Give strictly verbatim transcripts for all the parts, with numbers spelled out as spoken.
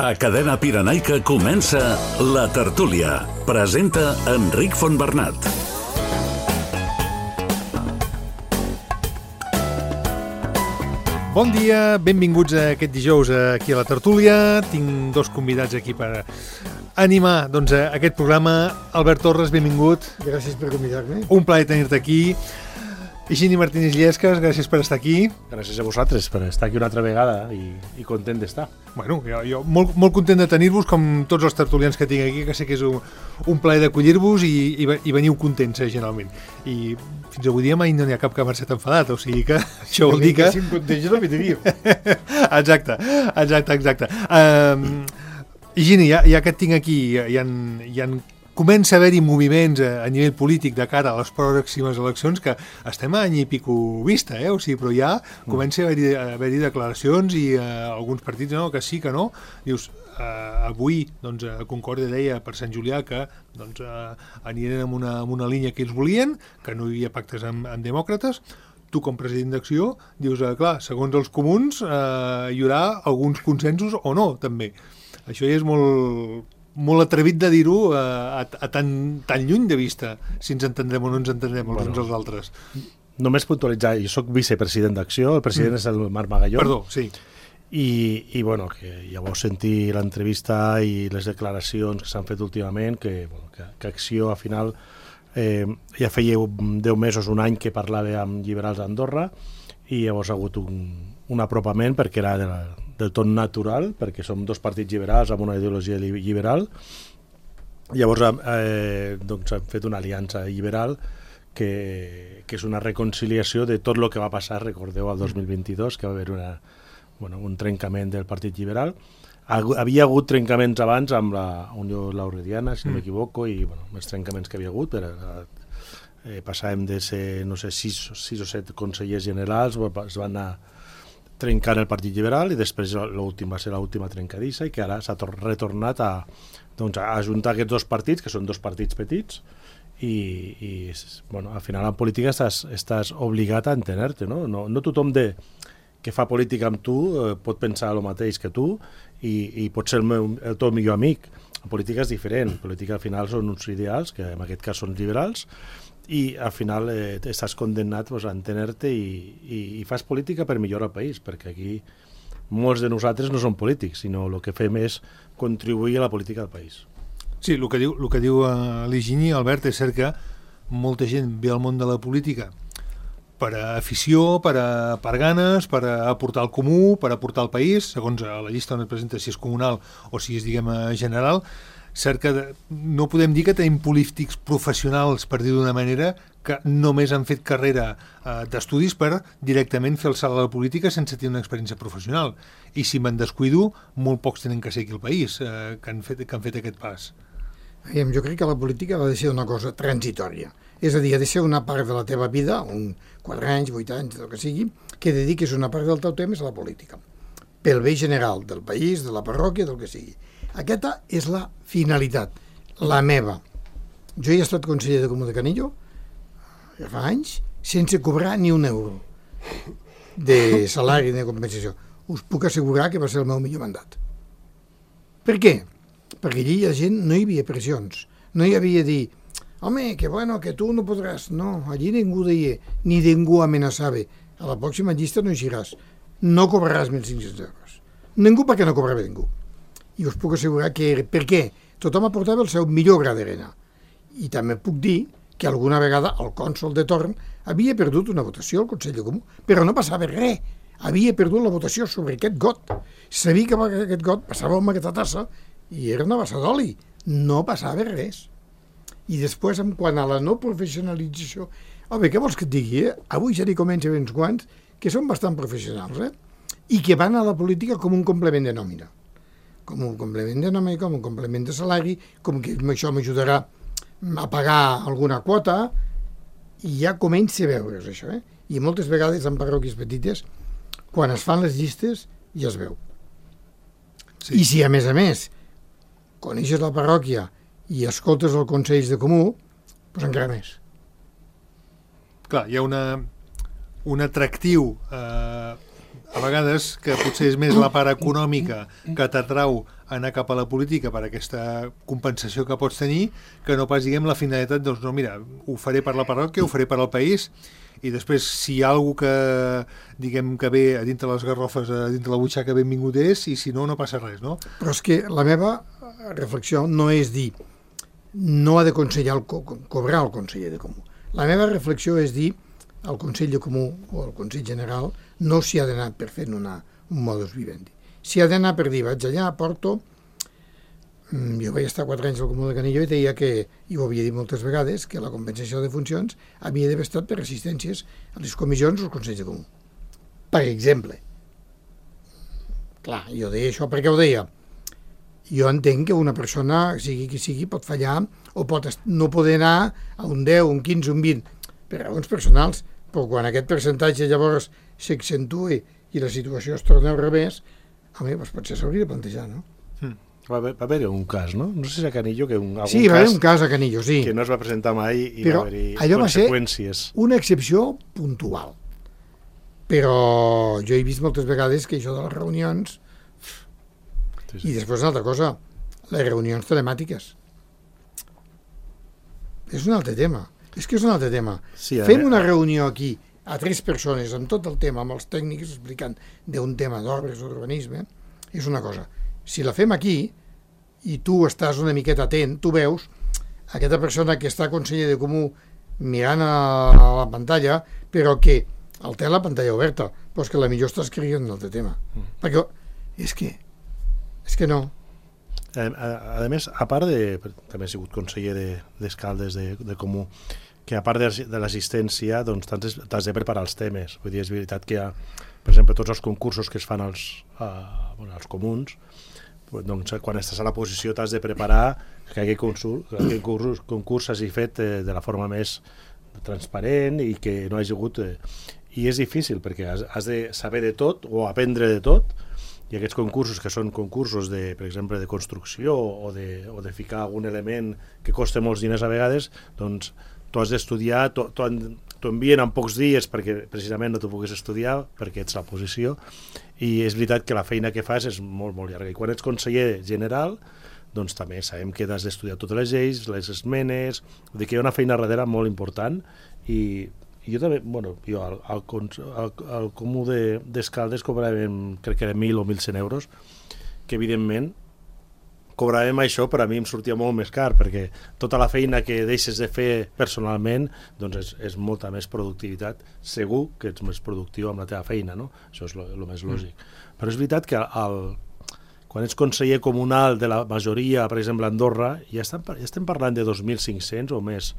A Cadena Pirenaica comença La Tertúlia. Presenta Enric Fontbernat. Bon dia, benvinguts a aquest dijous aquí a La Tertúlia. Tinc dos convidats aquí per animar doncs, aquest programa. Albert Torres, benvingut. Gràcies per convidar-me. Un plaer tenir-te aquí. Higini Martínez Llescas, gràcies per estar aquí. Gràcies a vosaltres per estar aquí una altra vegada i, i content d'estar. Bueno, jo, jo molt, molt content de tenir-vos, com tots els tertulians que tinc aquí, que sé que és un, un plaer d'acollir-vos i, i, i veniu contents, eh, generalment. I fins avui dia mai no n'hi ha cap que ha marxat enfadat, o sigui que això vol dir que... Si em contents no m'hi diria. Exacte, exacte, exacte. Um, Higini, ja, ja que et tinc aquí, hi ha, hi ha comença a haver-hi moviments a, a nivell polític de cara a les pròximes eleccions que estem a any i pico vista, eh? O sigui, però ja comença a haver-hi haver declaracions i uh, alguns partits no, que sí, que no. Dius, uh, avui doncs, a Concòrdia deia per Sant Julià que doncs, uh, anirien amb una, amb una línia que ells volien, que no hi havia pactes amb, amb demòcrates. Tu, com president d'Acció, dius, uh, clar, segons els comuns uh, hi haurà alguns consensos o no, també. Això ja és molt... molt atrevit de dir-ho a, a, a tan, tan lluny de vista, si ens entendrem o no ens entendrem els bueno, uns als altres. Només puntualitzar, jo soc vicepresident d'Acció, el president mm. és el Marc Magalló. Perdó, sí. I, i bueno, que ja vau sentir l'entrevista i les declaracions que s'han fet últimament, que, bueno, que, que Acció, al final, eh, ja feia deu mesos, un any que parlava amb lliberals d'Andorra, i llavors ha hagut un, un apropament perquè era de la, del tot natural, perquè som dos partits liberals amb una ideologia liberal. Llavors eh, doncs hem fet una aliança liberal que, que és una reconciliació de tot el que va passar, recordeu, al dos mil vint-i-dos, que va haver una, bueno, un trencament del Partit Liberal. Havia hagut trencaments abans amb la Unió Laurediana, si no m'equivoco, i bueno, els trencaments que havia hagut, per, eh, passàvem de ser, no sé, sis, sis o set consellers generals, es van anar trencant el Partit Liberal i després l'últim va ser l'última trencadissa i que ara s'ha retornat a, doncs, a ajuntar aquests dos partits, que són dos partits petits, i, i bueno, al final en política estàs, estàs obligat a entener-te, no? No, no tothom de, que fa política amb tu eh, pot pensar el mateix que tu i, i pot ser el, meu, el teu millor amic. En política és diferent, en política al final són uns ideals, que en aquest cas són liberals, i al final eh, estàs condemnat pues, a entener-te i, i, i fas política per millorar el país, perquè aquí molts de nosaltres no som polítics, sinó el que fem és contribuir a la política del país. Sí, el que diu, el que diu uh, l'Higini, Albert, és cert que molta gent ve al món de la política per a afició, per, a, per ganes, per a aportar el comú, per a aportar el país, segons la llista on et presenta si és comunal o si és, diguem, general. Cert que no podem dir que tenim polítics professionals, per dir d'una manera, que només han fet carrera eh, d'estudis per directament fer el salt a la política sense tenir una experiència professional. I si me'n descuido, molt pocs tenen que ser aquí al país eh, que, han fet, que han fet aquest pas. Jo crec que la política ha de ser una cosa transitòria. És a dir, ha de ser una part de la teva vida, un quatre anys, vuit anys, el que sigui, que dediquis una part del teu temps a la política. Pel bé general del país, de la parròquia, del que sigui. Aquesta és la finalitat, la meva. Jo he estat conseller de Comú de Canillo, ja fa anys, sense cobrar ni un euro de salari ni de compensació. Us puc assegurar que va ser el meu millor mandat. Per què? Perquè allí la gent no hi havia pressions. No hi havia dir, home, que bueno, que tu no podràs. No, allí ningú deia, ni ningú amenaçava. A la pròxima llista no eixiràs. No cobraràs mil cinc-cents euros. Ningú perquè no cobrava ningú. I us puc assegurar que... Per què? Tothom aportava el seu millor gra d'arena. I també puc dir que alguna vegada el cònsol de torn havia perdut una votació al Consell de Comú, però no passava res. Havia perdut la votació sobre aquest got. Sabia que aquest got passava amb aquesta tassa i era una bassa d'oli. No passava res. I després, en quant a la no professionalització... Home, què vols que et digui, eh? Avui ja n'hi comença uns quants que són bastant professionals, eh? I que van a la política com un complement de nòmina. Com un complement de nòmina, com un complement de salari, com que això m'ajudarà a pagar alguna quota, i ja comença a veure's això, eh? I moltes vegades en parròquies petites, quan es fan les llistes, ja es veu. Sí. I si, a més a més, coneixes la parròquia i escoltes el Consell de Comú, doncs encara més. Clar, hi ha una, un atractiu eh, a vegades que potser és més la part econòmica que t'atrau anar cap a la política per aquesta compensació que pots tenir, que no pas, diguem, la finalitat, doncs, no, mira, ho faré per la parròquia, ho faré per al país, i després, si hi ha alguna que, diguem, que ve a dintre les garrofes, a dintre la butxaca, benvingut és, i si no, no passa res, no? Però és que la meva reflexió no és dir no ha de consellar el co cobrar el conseller de Comú. La meva reflexió és dir al Consell de Comú o al Consell General no s'hi ha d'anar per fer una, un modus vivendi. S'hi ha d'anar per dir, vaig allà, porto... Jo vaig estar quatre anys al Comú de Canillo i deia que, i ho havia dit moltes vegades, que la compensació de funcions havia d'haver estat per assistències a les comissions o als Consells de Comú. Per exemple. Clar, jo deia això perquè ho deia. Jo entenc que una persona, sigui qui sigui, pot fallar o pot no poder anar a un deu, un quinze, un vint, per raons personals, però quan aquest percentatge llavors s'accentui i la situació es torna al revés, home, doncs potser s'hauria de plantejar, no? Mm. Va haver, va haver un cas, no? No sé si a Canillo, que un, algun sí, va haver cas un cas a Canillo, sí. que no es va presentar mai i però va haver-hi allò conseqüències. Va ser una excepció puntual. Però jo he vist moltes vegades que això de les reunions... Sí, sí. I després una altra cosa, les reunions telemàtiques. És un altre tema. És que és un altre tema. Sí, Fem una reunió aquí a tres persones amb tot el tema, amb els tècnics explicant d'un tema d'obres o d'urbanisme, és una cosa. Si la fem aquí i tu estàs una miqueta atent, tu veus aquesta persona que està conseller de Comú mirant a la pantalla, però que el té la pantalla oberta, però és que la millor està escrivint un altre tema. Mm. Perquè és que, és que no. A, a, a més, a part de... També he sigut conseller d'Escaldes de, de Comú, que a part de, de l'assistència, doncs t'has de preparar els temes. Vull dir, és veritat que hi ha, per exemple, tots els concursos que es fan als, a, bueno, als comuns, doncs quan estàs a la posició t'has de preparar que aquell concurs, aquell concurs, concurs s'hagi fet eh, de la forma més transparent i que no hagi hagut... Eh, I és difícil perquè has, has de saber de tot o aprendre de tot, i aquests concursos que són concursos, de, per exemple, de construcció o de, o de ficar algun element que costa molts diners a vegades, doncs tu has d'estudiar, t'ho envien en pocs dies perquè precisament no t'ho puguis estudiar, perquè ets la posició, i és veritat que la feina que fas és molt, molt llarga. I quan ets conseller general, doncs també sabem que has d'estudiar totes les lleis, les esmenes, vull dir que hi ha una feina darrere molt important, i, i jo també, bueno, jo al, al, al, al Comú d'Escaldes de, cobràvem, crec que era mil o mil cent euros, que evidentment cobràvem això, però a mi em sortia molt més car, perquè tota la feina que deixes de fer personalment doncs és, és molta més productivitat. Segur que ets més productiu amb la teva feina, no? Això és el més lògic. Mm. Però és veritat que el, quan ets conseller comunal de la majoria, per exemple, a Andorra, ja estem, ja estem parlant de dos mil cinc-cents o més.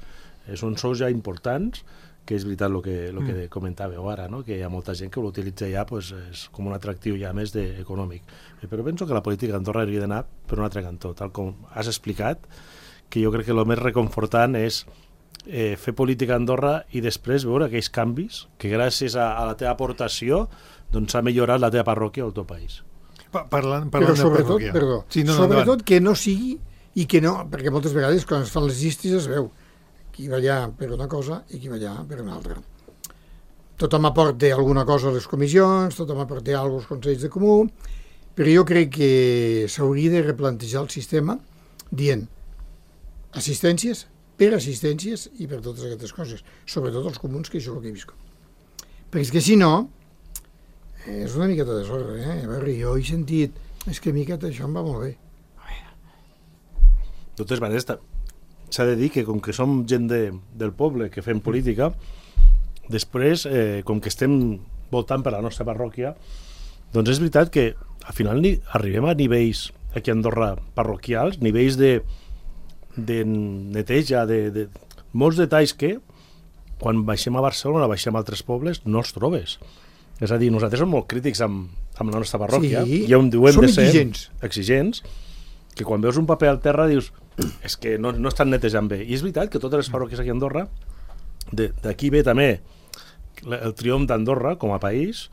Són sous ja importants, que és veritat el que, lo que mm. comentàveu ara, no? Que hi ha molta gent que l'utilitza ja, pues, és com un atractiu ja més de, econòmic. Però penso que la política d'Andorra hauria d'anar per un altre cantó, tal com has explicat, que jo crec que el més reconfortant és eh, fer política a Andorra i després veure aquells canvis que gràcies a, a la teva aportació doncs s'ha millorat la teva parròquia o el teu país. Pa parlant, parlant Però sobretot, perdó, sí, no, sobretot no, que no sigui i que no, perquè moltes vegades quan es fan les llistes es veu qui va allà per una cosa i qui va allà per una altra. Tothom aporta alguna cosa a les comissions, tothom aporta alguna cosa als consells de Comú, però jo crec que s'hauria de replantejar el sistema dient assistències per assistències i per totes aquestes coses, sobretot els comuns, que això és el que he vist. Perquè és que si no, és una miqueta de sorra, eh? A veure, jo he sentit, és que miqueta això em va molt bé. De totes maneres, s'ha de dir que com que som gent de, del poble que fem política, després, eh, com que estem voltant per la nostra parròquia, doncs és veritat que al final ni, arribem a nivells aquí a Andorra parroquials, nivells de, de neteja, de, de molts detalls que quan baixem a Barcelona, baixem a altres pobles, no els trobes. És a dir, nosaltres som molt crítics amb, amb la nostra parròquia, sí, i on diuen som de ser exigents. exigents, que quan veus un paper al terra dius és que no, no estan netejant bé. I és veritat que totes les parròquies aquí a Andorra, d'aquí ve també el triomf d'Andorra com a país,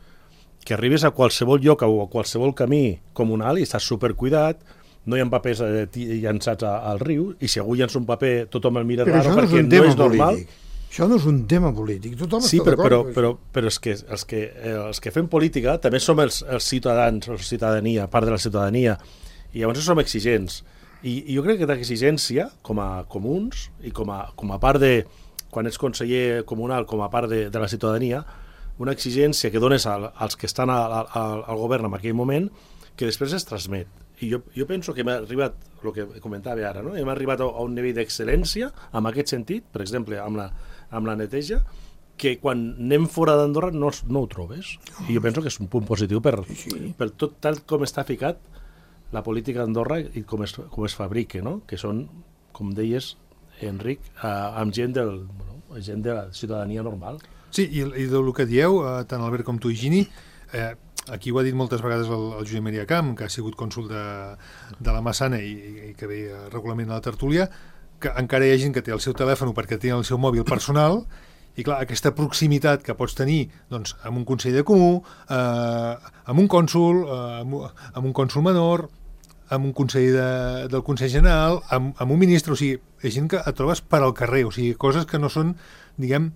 que arribes a qualsevol lloc o a qualsevol camí comunal i estàs supercuidat, no hi ha papers eh, llançats a, al riu, i si algú llança un paper tothom el mira però raro no perquè és no és normal. polític. Això no és un tema polític, tothom sí, està però, però, d'acord. però, però és que, els, que, eh, els que fem política també som els, els ciutadans, la ciutadania, part de la ciutadania, i llavors som exigents. I, i jo crec que l'exigència, com a comuns, i com a, com a part de, quan ets conseller comunal, com a part de, de la ciutadania, una exigència que dones al, als que estan al, al, al govern en aquell moment, que després es transmet. I jo, jo penso que hem arribat, el que comentava ara, no? Hem arribat a, a un nivell d'excel·lència, en aquest sentit, per exemple, amb la, amb la neteja, que quan anem fora d'Andorra no, no ho trobes. I jo penso que és un punt positiu per, sí. per tot tal com està ficat la política d'Andorra i com es, com es fabrica, no? Que són, com deies, Enric, eh, amb gent, del, bueno, gent de la ciutadania normal. Sí, i, i del que dieu, eh, tant Albert com tu, Higini, eh, aquí ho ha dit moltes vegades el, el Josep Maria Camp, que ha sigut cònsul de, de la Massana i, i que ve regularment a la tertúlia, que encara hi ha gent que té el seu telèfon perquè té el seu mòbil personal, i clar, aquesta proximitat que pots tenir doncs, amb un consell de comú, eh, amb un cònsul, eh, amb, amb un cònsul menor, amb un consell de, del Consell General, amb, amb un ministre, o sigui, hi ha gent que et trobes per al carrer, o sigui, coses que no són, diguem,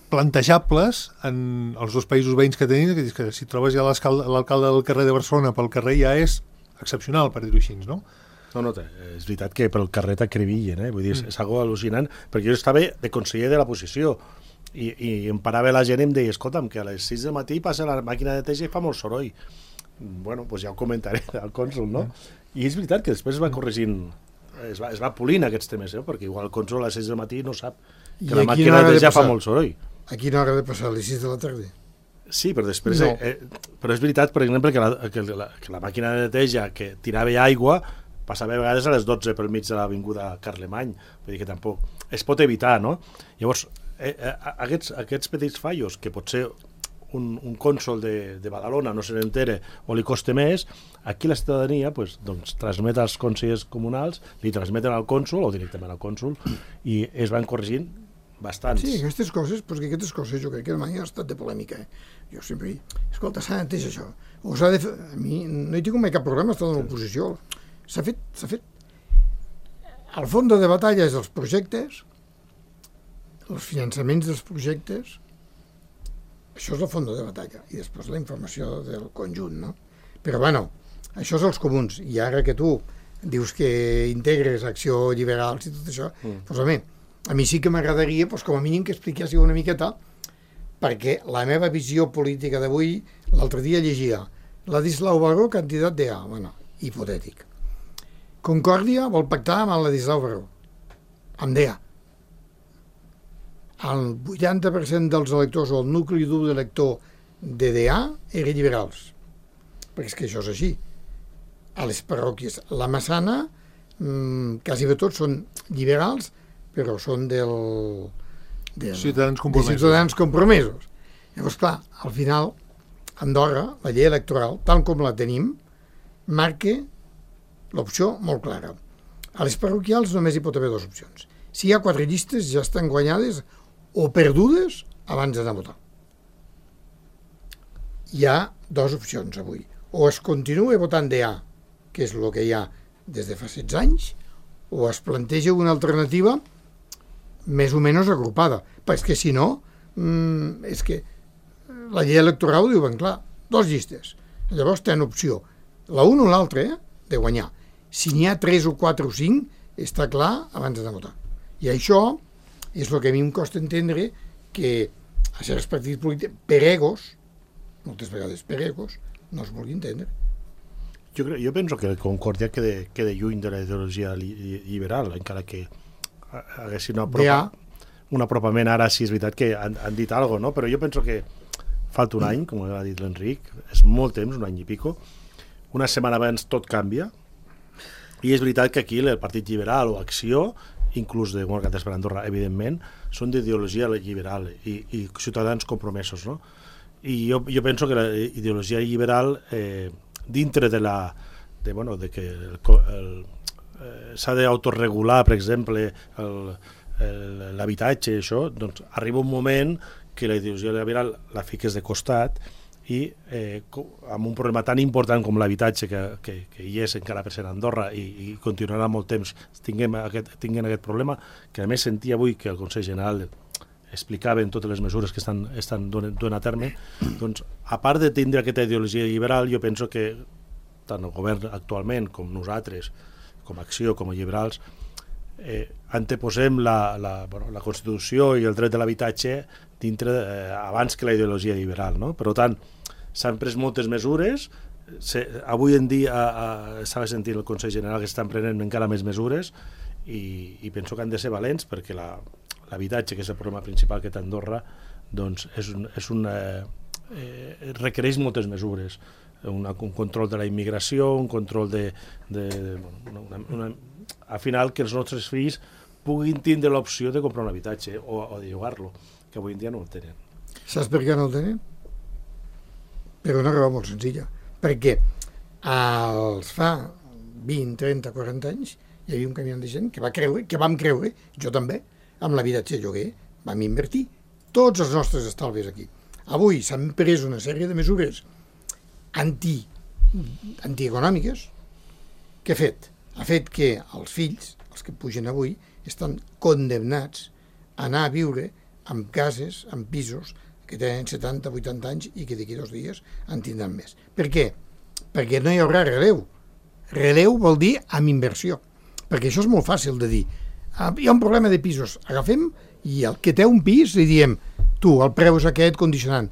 plantejables en els dos països veïns que tenim, que, que si trobes ja l'alcalde del carrer de Barcelona pel carrer ja és excepcional, per dir-ho així, no? No, no, és veritat que pel carrer t'acribillen, eh? Vull dir, és, és algo al·lucinant, perquè jo estava de conseller de la posició i, i em parava la gent i em deia, escolta'm, que a les sis del matí passa la màquina de neteja i fa molt soroll. Bueno, doncs ja ho comentaré al cònsul, no? I és veritat que després es va corregint, es va, es va polint aquests temes, eh? Perquè igual el cònsul a les sis del matí no sap que la màquina de neteja fa molt soroll. A quina hora ha de passar? A les sis de la tarda? Sí, però després... No. Eh, però és veritat, per exemple, que la, que, la, que la màquina de neteja que tirava aigua passava a vegades a les dotze pel mig de l'avinguda Carlemany. Vull dir que tampoc... Es pot evitar, no? Llavors, eh, eh, aquests, aquests petits fallos, que potser un, un cònsol de, de Badalona no se n'entere o li costa més, aquí la ciutadania pues, doncs, transmet als consellers comunals, li transmeten al cònsol o directament al cònsol i es van corregint bastants. Sí, aquestes coses, perquè aquestes coses jo crec que mai ha estat de polèmica. Eh? Jo sempre dic, escolta, s'ha d'entès això. O s'ha de fer... A mi no hi tinc mai cap problema, estar en l'oposició. S'ha fet, s'ha fet... El fons de batalla és els projectes, els finançaments dels projectes, això és el fons de batalla, i després la informació del conjunt, no? Però, bueno, això és els comuns, i ara que tu dius que integres acció liberals i tot això, mm. doncs a mi, a mi sí que m'agradaria, doncs, com a mínim, que expliquéssiu una miqueta, perquè la meva visió política d'avui, l'altre dia llegia Ladislau Baró, candidat d'E A, bueno, hipotètic. Concòrdia vol pactar amb el Ladislau Baró, amb d'E A. El vuitanta per cent dels electors o el nucli dur d'elector de d'E A eren liberals, perquè és que això és així. A les parròquies, la Massana, mmm, quasi bé tots són liberals, però són del, del, ciutadans compromesos. de ciutadans compromesos. Llavors, clar, al final, Andorra, la llei electoral, tal com la tenim, marca l'opció molt clara. A les parroquials només hi pot haver dues opcions. Si hi ha quatre llistes, ja estan guanyades o perdudes abans d'anar a votar. Hi ha dues opcions avui. O es continua votant d'E A, que és el que hi ha des de fa setze anys, o es planteja una alternativa més o menys agrupada, perquè si no, mmm, és que la llei electoral ho diu ben clar, dos llistes. Llavors tenen opció, la una o l'altra, eh, de guanyar. Si n'hi ha tres o quatre o cinc, està clar abans de votar. I això és el que a mi em costa entendre que a certs partits polítics, per egos, moltes vegades per egos, no es vulgui entendre. Jo, crec, jo penso que el Concòrdia queda, queda lluny de la ideologia li, liberal, encara que haguessin una apropa, un apropament. Ara sí és veritat que han, han dit alguna cosa, no? Però jo penso que falta un any, com ha dit l'Enric, és molt temps, un any i pico, una setmana abans tot canvia, i és veritat que aquí el Partit Liberal o Acció, inclús de Demòcrates per Andorra, evidentment, són d'ideologia liberal i, i ciutadans compromesos, no? I jo, jo penso que la ideologia liberal, eh, dintre de la... de, bueno, de que el, el, eh, s'ha d'autoregular, per exemple, l'habitatge, això, doncs arriba un moment que la ideologia liberal la fiques de costat i eh, amb un problema tan important com l'habitatge que, que, que hi és encara per ser a Andorra i, i continuarà molt temps tinguem aquest, tinguem aquest problema, que a més sentia avui que el Consell General explicaven totes les mesures que estan, estan duent a terme, doncs, a part de tindre aquesta ideologia liberal, jo penso que tant el govern actualment com nosaltres, com a Acció, com a liberals, eh, anteposem la, la, bueno, la Constitució i el dret de l'habitatge dintre, eh, abans que la ideologia liberal, no? Per tant, s'han pres moltes mesures. Se, avui en dia estava sentint el Consell General que estan prenent encara més mesures i, i penso que han de ser valents perquè la, l'habitatge, que és el problema principal que té Andorra, doncs és un, és un, eh, eh, requereix moltes mesures, una, un control de la immigració, un control de, de, de una, una, al final que els nostres fills puguin tindre l'opció de comprar un habitatge o, o de llogar-lo, que avui en dia no el tenen. Saps per què no el tenen? Per una raó molt senzilla. Perquè als fa vint, trenta, quaranta anys hi havia un camió de gent que va creure, que vam creure, jo també, amb l'habitatge lloguer, vam invertir tots els nostres estalvis aquí. Avui s'han pres una sèrie de mesures anti, antieconòmiques que ha fet? Ha fet que els fills, els que pugen avui, estan condemnats a anar a viure en cases, en pisos, que tenen setanta, vuitanta anys i que d'aquí dos dies en tindran més. Per què? Perquè no hi haurà relleu. Relleu vol dir amb inversió. Perquè això és molt fàcil de dir. Hi ha un problema de pisos. Agafem i el que té un pis li diem tu, el preu és aquest condicionant.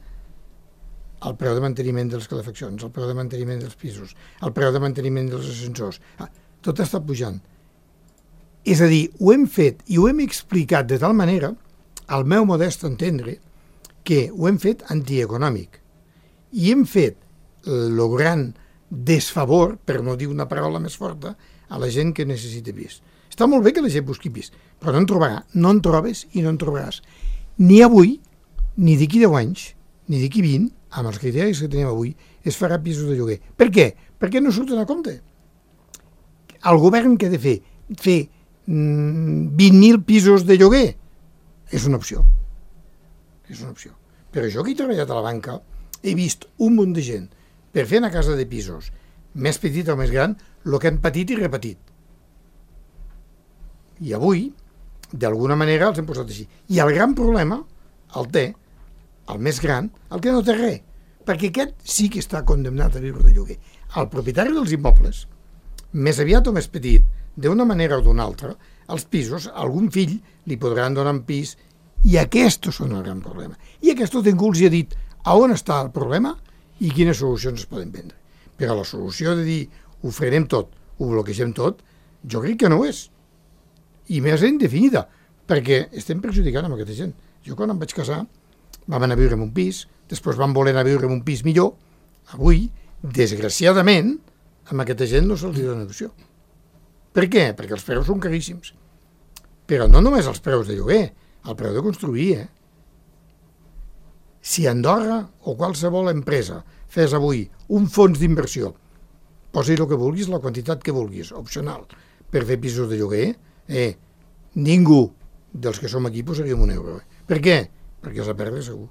El preu de manteniment de les calefaccions, el preu de manteniment dels pisos, el preu de manteniment dels ascensors. Ah, tot està pujant. És a dir, ho hem fet i ho hem explicat de tal manera, al meu modest entendre, que ho hem fet antieconòmic i hem fet el gran desfavor, per no dir una paraula més forta, a la gent que necessita pis. Està molt bé que la gent busqui pis, però no en trobarà, no en trobes i no en trobaràs. Ni avui, ni d'aquí deu anys, ni d'aquí vint, amb els criteris que tenim avui, es farà pisos de lloguer. Per què? Perquè no surten a compte. El govern què ha de fer? Fer mm, vint mil pisos de lloguer? És una opció. És una opció. Però jo que he treballat a la banca he vist un munt de gent per fer una casa de pisos més petita o més gran el que han patit i repetit. I avui, d'alguna manera, els hem posat així. I el gran problema el té, el més gran, el que no té res. Perquè aquest sí que està condemnat a viure de lloguer. El propietari dels immobles, més aviat o més petit, d'una manera o d'una altra, els pisos, algun fill li podran donar un pis. I aquests són el gran problema. I aquest ningú els ha dit a on està el problema i quines solucions es poden prendre. Però la solució de dir ho frenem tot, ho bloquegem tot, jo crec que no ho és. I més indefinida, perquè estem perjudicant amb aquesta gent. Jo quan em vaig casar vam anar a viure en un pis, després vam voler anar a viure en un pis millor. Avui, desgraciadament, amb aquesta gent no se'ls dona opció. Per què? Perquè els preus són caríssims. Però no només els preus de lloguer, el preu de construir, eh? Si Andorra o qualsevol empresa fes avui un fons d'inversió, posi el que vulguis, la quantitat que vulguis, opcional, per fer pisos de lloguer, eh, ningú dels que som aquí posaríem un euro. Eh? Per què? Perquè s'ha perdre segur.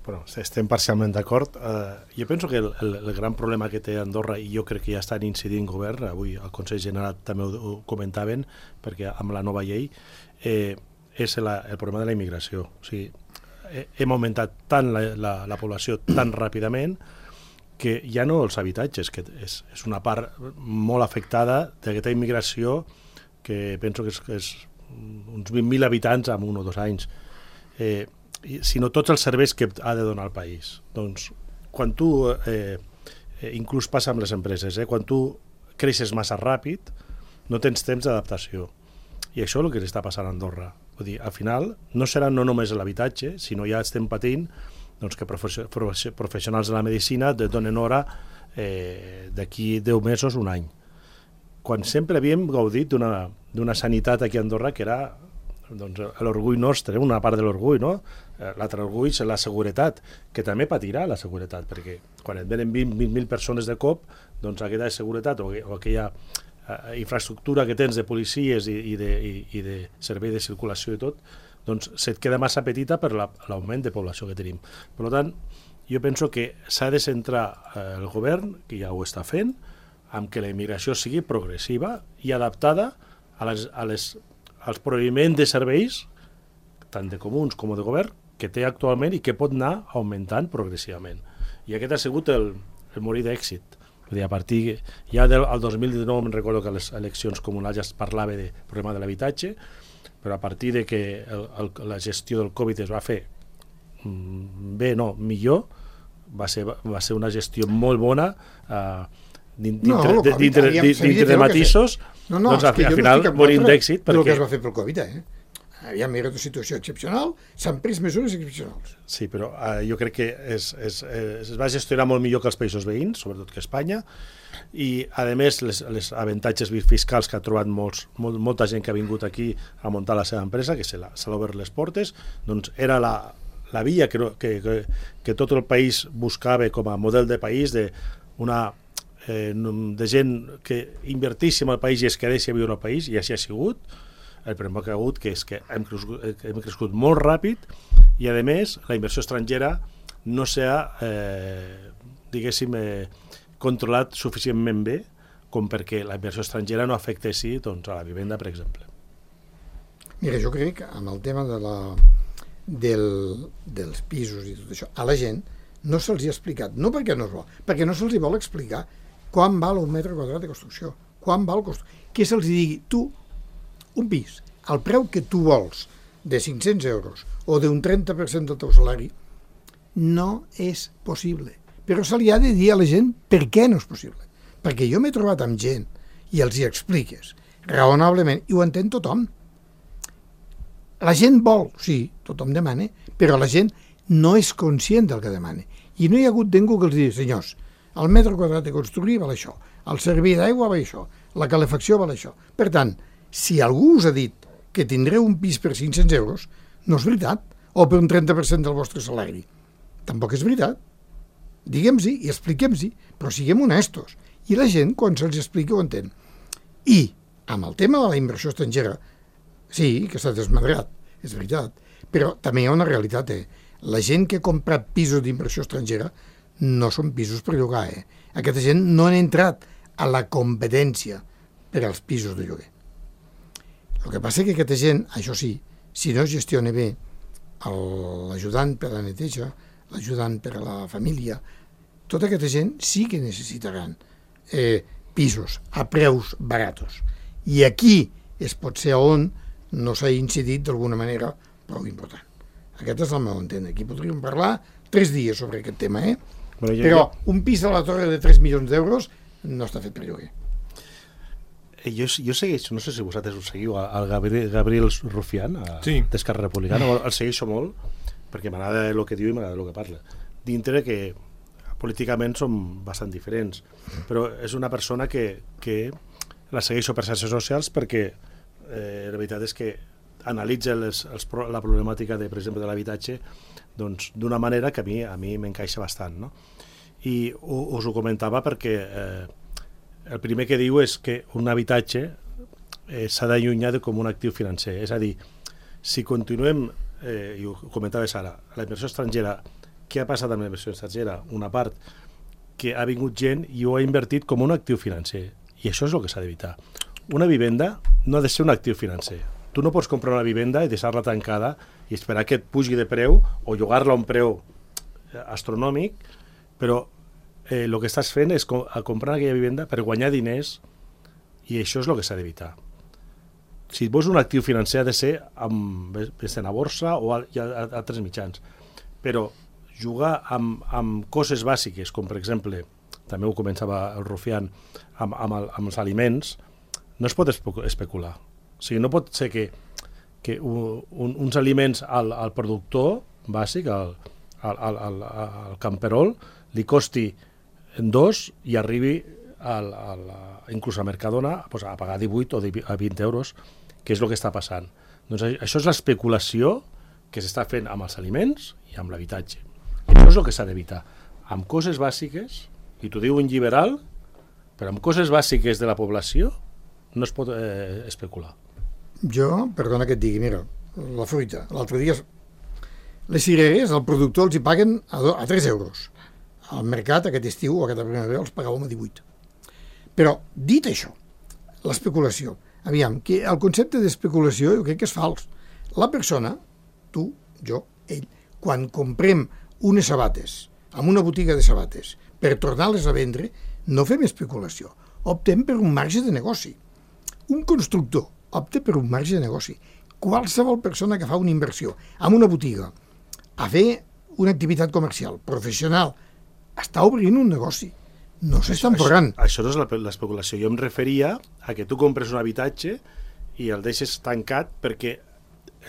Bueno, estem parcialment d'acord. Uh, jo penso que el, el, el gran problema que té Andorra, i jo crec que ja estan incidint govern, avui al Consell General també ho, ho comentaven, perquè amb la nova llei, eh, és la, el problema de la immigració. O sigui, eh, hem augmentat tant la, la, la població tan ràpidament que ja no els habitatges, que és, és una part molt afectada d'aquesta immigració que penso que és, que és uns vint mil habitants en un o dos anys. Eh, sinó tots els serveis que ha de donar el país. Doncs, quan tu, eh, inclús passa amb les empreses, eh, quan tu creixes massa ràpid, no tens temps d'adaptació. I això és el que està passant a Andorra. Vull dir, al final, no serà no només l'habitatge, sinó ja estem patint doncs, que professionals de la medicina et donen hora eh, d'aquí deu mesos, un any. Quan sempre havíem gaudit d'una sanitat aquí a Andorra que era doncs, l'orgull nostre, una part de l'orgull, no? L'altre orgull és la seguretat, que també patirà la seguretat, perquè quan et venen vint mil persones de cop, doncs aquesta seguretat o, o aquella eh, infraestructura que tens de policies i, i, de, i, i de servei de circulació i tot, doncs se't queda massa petita per l'augment de població que tenim. Per tant, jo penso que s'ha de centrar eh, el govern, que ja ho està fent, amb que la immigració sigui progressiva i adaptada a les, a les, als proveïments de serveis tant de comuns com de govern, que té actualment i que pot anar augmentant progressivament. I aquest ha sigut el, el morir d'èxit. Vull dir, a partir, ja del el dos mil dinou me'n recordo que a les eleccions comunals ja es parlava del problema de l'habitatge, però a partir de que el, el, la gestió del Covid es va fer bé, no, millor, va ser, va ser una gestió molt bona eh, dintre, no, de, dintre, dintre de matisos, no, no, doncs al final no morim d'èxit. Perquè... El que es va fer pel Covid, eh? Aviam, era una situació excepcional, s'han pres mesures excepcionals. Sí, però eh, jo crec que es, es, es, es va gestionar molt millor que els països veïns, sobretot que Espanya, i a més les, les avantatges fiscals que ha trobat molts, molt, molta gent que ha vingut aquí a muntar la seva empresa, que se l'ha obert les portes, doncs era la, la via que, que, que, que tot el país buscava com a model de país, de, una, eh, de gent que invertís en el país i es quedés a viure al país, i així ha sigut. El problema que ha hagut que és que hem crescut, hem crescut molt ràpid i, a més, la inversió estrangera no s'ha, eh, diguéssim, eh, controlat suficientment bé com perquè la inversió estrangera no afectessi doncs, a la vivenda, per exemple. Mira, jo crec que amb el tema de la, del, dels pisos i tot això, a la gent no se'ls ha explicat, no perquè no es vol, perquè no se'ls vol explicar quan val un metre quadrat de construcció, quan val construcció, que se'ls digui, tu, un pis, al preu que tu vols, de cinc-cents euros o d'un trenta per cent del teu salari, no és possible. Però se li ha de dir a la gent per què no és possible. Perquè jo m'he trobat amb gent i els hi expliques raonablement, i ho entén tothom. La gent vol, sí, tothom demana, però la gent no és conscient del que demana. I no hi ha hagut ningú que els digui, senyors, el metre quadrat de construir val això, el servei d'aigua val això, la calefacció val això. Per tant, si algú us ha dit que tindreu un pis per cinc-cents euros, no és veritat, o per un trenta per cent del vostre salari. Tampoc és veritat. Diguem-hi i expliquem-hi, però siguem honestos. I la gent, quan se'ls explica, ho entén. I, amb el tema de la inversió estrangera, sí, que s'ha desmadrat, és veritat, però també hi ha una realitat, eh? La gent que ha comprat pisos d'inversió estrangera no són pisos per llogar, eh? Aquesta gent no han entrat a la competència per als pisos de lloguer. El que passa és que aquesta gent, això sí, si no es gestiona bé l'ajudant per la neteja, l'ajudant per a la família, tota aquesta gent sí que necessitaran eh, pisos a preus baratos. I aquí és potser on no s'ha incidit d'alguna manera prou important. Aquest és el meu entendre. Aquí podríem parlar tres dies sobre aquest tema, eh? Bueno, jo, Però jo... un pis a la Torre de tres milions d'euros no està fet per lloguer. Jo, jo segueixo, no sé si vosaltres ho seguiu, al Gabriel, Gabriel Rufián, sí. d'Esquerra Republicana, el segueixo molt, perquè m'agrada el que diu i m'agrada el que parla. Dintre que políticament som bastant diferents, però és una persona que, que la segueixo per xarxes socials perquè eh, la veritat és que analitza les, els, la problemàtica, de, per exemple, de l'habitatge doncs, d'una manera que a mi a mi m'encaixa bastant. No? I us ho comentava perquè eh, el primer que diu és que un habitatge eh, s'ha d'allunyar de com un actiu financer. És a dir, si continuem, eh, i ho comentaves ara, la inversió estrangera, què ha passat amb la inversió estrangera? Una part que ha vingut gent i ho ha invertit com un actiu financer. I això és el que s'ha d'evitar. Una vivenda no ha de ser un actiu financer. Tu no pots comprar una vivenda i deixar-la tancada i esperar que et pugi de preu o llogar-la a un preu astronòmic, però Eh, el que estàs fent és com, a comprar aquella vivenda per guanyar diners, i això és el que s'ha d'evitar. Si vols un actiu financer ha de ser amb, en a borsa o a, a, a altres mitjans, però jugar amb, amb coses bàsiques, com per exemple, també ho començava el Rufián, amb, amb, el, amb els aliments, no es pot especular. O sigui, no pot ser que, que un, uns aliments al, al productor bàsic, al, al, al, al, al camperol, li costi en dos i arribi al, al, inclús a Mercadona pues, a pagar divuit o a vint euros, que és el que està passant. Doncs això és l'especulació que s'està fent amb els aliments i amb l'habitatge. I això és el que s'ha d'evitar. Amb coses bàsiques, i t'ho diu un liberal, però amb coses bàsiques de la població no es pot eh, especular. Jo, perdona que et digui, mira, la fruita, l'altre dia les cireres, el productor els hi paguen a, do, a tres euros. Al mercat, aquest estiu o aquesta primavera, els pagàvem a divuit. Però, dit això, l'especulació, aviam, que el concepte d'especulació jo crec que és fals. La persona tu, jo, ell, quan comprem unes sabates, en una botiga de sabates, per tornar-les a vendre, no fem especulació, optem per un marge de negoci. Un constructor opta per un marge de negoci. Qualsevol persona que fa una inversió en una botiga a fer una activitat comercial, professional, està obrint un negoci. No s'estan forrant. Això, això no és l'especulació. Jo em referia a que tu compres un habitatge i el deixes tancat perquè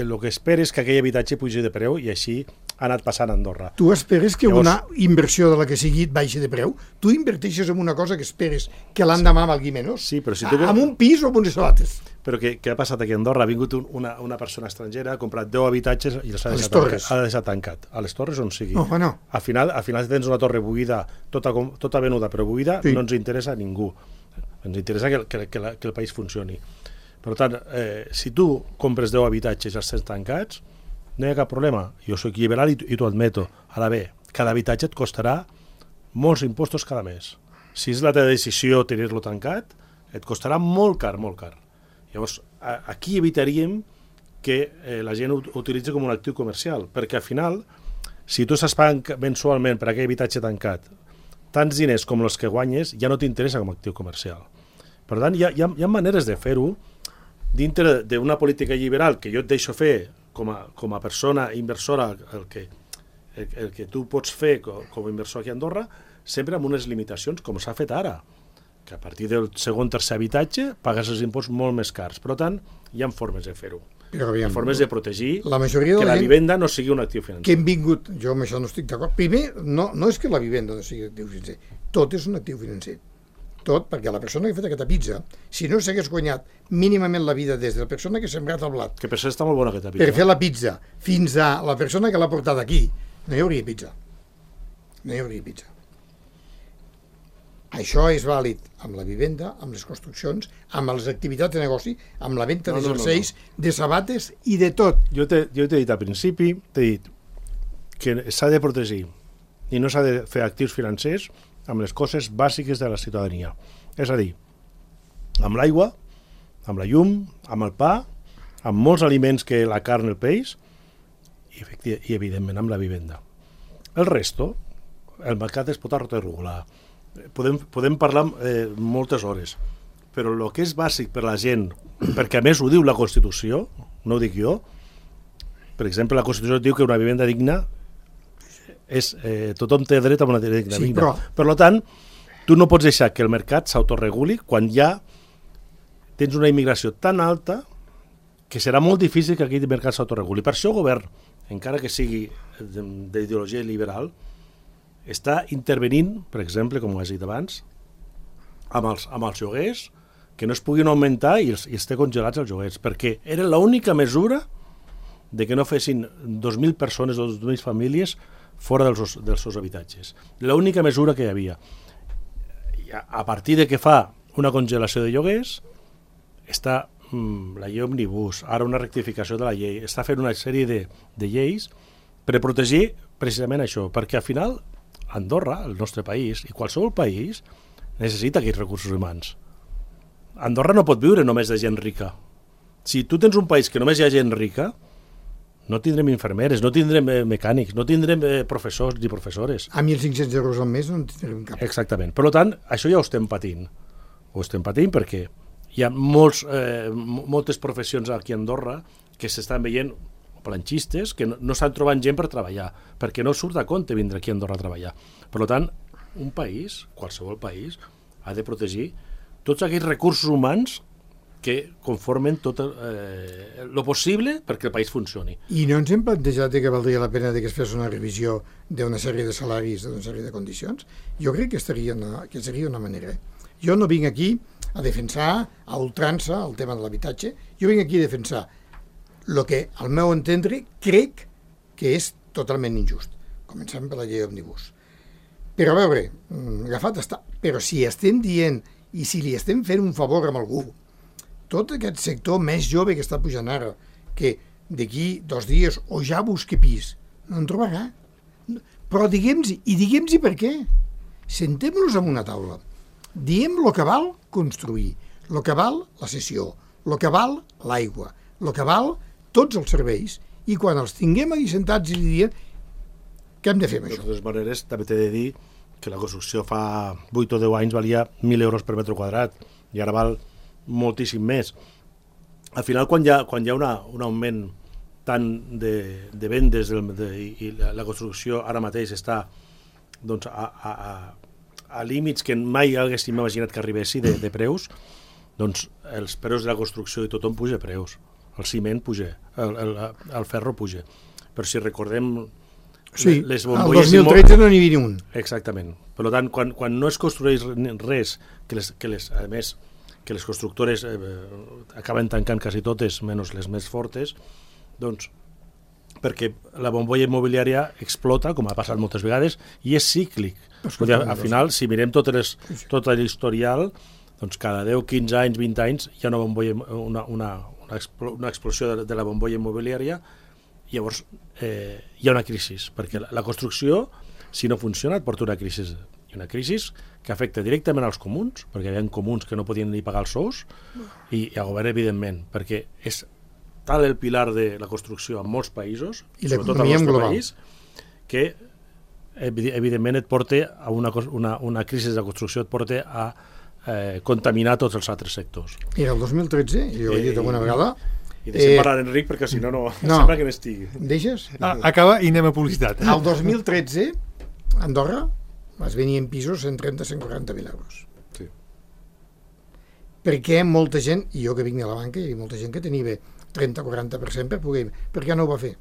el que esperes és que aquell habitatge pugi de preu i així ha anat passant a Andorra. Tu esperes que Llavors, una inversió de la que sigui et baixi de preu? Tu inverteixes en una cosa que esperes que l'endemà valgui menys? Sí, però si tu... En un pis o en unes sabates? Però què, què ha passat aquí a Andorra? Ha vingut un, una, una persona estrangera, ha comprat deu habitatges i els ha A les deixat, Torres. tancat, ha deixat tancat. A les Torres on sigui. No, no. Al final, al final tens una torre buida, tota, com- tota venuda però buida, Sí. no ens interessa a ningú. Ens interessa que, que, que, la, que el país funcioni. Per tant, eh, si tu compres deu habitatges i els tens tancats, no hi ha cap problema. Jo soc liberal i, i t'ho admeto. Ara bé, cada habitatge et costarà molts impostos cada mes. Si és la teva decisió tenir-lo tancat, et costarà molt car, molt car. Llavors, a, aquí evitaríem que eh, la gent ho utilitzi com un actiu comercial, perquè al final, si tu estàs pagant mensualment per aquell habitatge tancat tants diners com els que guanyes, ja no t'interessa com a actiu comercial. Per tant, hi ha, hi ha, hi ha maneres de fer-ho dintre d'una política liberal que jo et deixo fer com a, com a persona inversora, el que, el, el que tu pots fer com, com a inversor aquí a Andorra, sempre amb unes limitacions, com s'ha fet ara, que a partir del segon tercer habitatge pagues els impostos molt més cars. Per tant, hi ha formes de fer-ho. Però Hi aviam, ha formes de protegir la majoria de que la la gent vivenda no sigui un actiu financer. que hem vingut, jo amb això no estic d'acord. Primer, no, no és que la vivenda no sigui actiu financer, tot és un actiu financer. Tot, perquè la persona que ha fet aquesta pizza, si no s'hagués guanyat mínimament la vida des de la persona que ha sembrat el blat Que per això està molt bona aquesta per pizza. fer la pizza fins a la persona que l'ha portat aquí, no hi hauria pizza. No hi hauria pizza. Això és vàlid amb la vivenda, amb les construccions, amb les activitats de negoci, amb la venda No, de no, no, jerseis, de sabates i de tot. Jo t'he jo t'he dit al principi, t'he dit que s'ha de protegir i no s'ha de fer actius financers amb les coses bàsiques de la ciutadania. És a dir, amb l'aigua, amb la llum, amb el pa, amb molts aliments que la carn, el peix i, efecti- i evidentment amb la vivenda. El resto, el mercat es pot regular. Podem, podem parlar eh, moltes hores, però el que és bàsic per la gent, perquè a més ho diu la Constitució, no ho dic jo, per exemple, la Constitució diu que una vivenda digna és, eh, tothom té dret a una vivenda Sí, digna. però- Per tant, tu no pots deixar que el mercat s'autoreguli quan ja tens una immigració tan alta que serà molt difícil que aquell mercat s'autoreguli. Per això el govern, encara que sigui de- d'ideologia liberal, està intervenint, per exemple, com ho has dit abans, amb els, amb els lloguers, que no es puguin augmentar i els, i els té congelats els lloguers, perquè era l'única mesura de que no fessin dos mil persones o dos mil famílies fora dels, dels seus habitatges. L'única mesura que hi havia. I a, a partir de que fa una congelació de lloguers, està mm, la llei Òmnibus, ara una rectificació de la llei, està fent una sèrie de, de lleis per protegir precisament això, perquè al final Andorra, el nostre país, i qualsevol país, necessita aquells recursos humans. Andorra no pot viure només de gent rica. Si tu tens un país que només hi ha gent rica, no tindrem infermeres, no tindrem eh, mecànics, no tindrem eh, professors ni professores. A mil cinc-cents euros al mes no en tindrem cap. Exactament. Per tant, això ja ho estem patint. Ho estem patint perquè hi ha molts, eh, moltes professions aquí a Andorra que s'estan veient planxistes que no, no estan trobant gent per treballar, perquè no surt a compte vindre aquí a Andorra a treballar. Per tant, un país, qualsevol país, ha de protegir tots aquells recursos humans que conformen tot el eh, lo possible perquè el país funcioni. I no ens hem plantejat que valdria la pena que es fes una revisió d'una sèrie de salaris, d'una sèrie de condicions? Jo crec que, estaria una, que seria una manera. Jo no vinc aquí a defensar a ultrança el tema de l'habitatge, jo vinc aquí a defensar el que, al meu entendre, crec que és totalment injust. Comencem per la llei Òmnibus. Però a veure, agafat està, però si estem dient i si li estem fent un favor amb algú, tot aquest sector més jove que està pujant ara, que d'aquí dos dies o ja busqui pis, no en trobarà. Però diguem-hi, i diguem-hi per què. Sentem-nos en una taula. Diem el que val construir, el que val la cessió, el que val l'aigua, el que val tots els serveis, i quan els tinguem aquí sentats i li diem què hem de fer amb De això? totes maneres, també t'he de dir que la construcció fa vuit o deu anys valia mil euros per metre quadrat i ara val moltíssim més. Al final, quan hi ha, quan hi ha una, un augment tant de, de vendes del, de, i la, la construcció ara mateix està doncs, a, a, a, a límits que mai haguéssim imaginat que arribessi de, de preus, doncs els preus de la construcció i tothom puja preus. El ciment puja, el, el, el ferro puja. Però si recordem Sí, les el bombolles... dos mil tretze no n'hi havia ni un. Exactament. Per tant, quan, quan no es construeix res, que les, que les, a més, que les constructores eh, acaben tancant quasi totes, menys les més fortes, doncs, perquè la bombolla immobiliària explota, com ha passat moltes vegades, i és cíclic. Dir, al final, si mirem tot, les, tot l'historial, doncs cada deu, quinze anys, vint anys, hi ha una, bombolla, una, una, una, explo, una explosió de, de la bombolla immobiliària. Llavors eh, hi ha una crisi, perquè la, la construcció, si no funciona, et porta una crisi. I una crisi que afecta directament als comuns, perquè hi ha comuns que no podien ni pagar els sous, i, i al govern, evidentment, perquè és tal el pilar de la construcció en molts països, I sobretot al nostre país, que evidentment et porta a una, una, una crisi de la construcció, et porta a eh, contaminar tots els altres sectors. Era el dos mil tretze, jo ho he dit alguna vegada. I deixem Eh, parlar Enric, perquè si no, no, no. sembla que n'estigui. Deixes? Ah, acaba i anem a publicitat. El dos mil tretze, a Andorra, es venien pisos cent trenta a cent quaranta mil euros. Sí. Perquè molta gent, i jo que vinc de la banca, hi havia molta gent que tenia bé trenta a quaranta per cent per poder... Per què no ho va fer?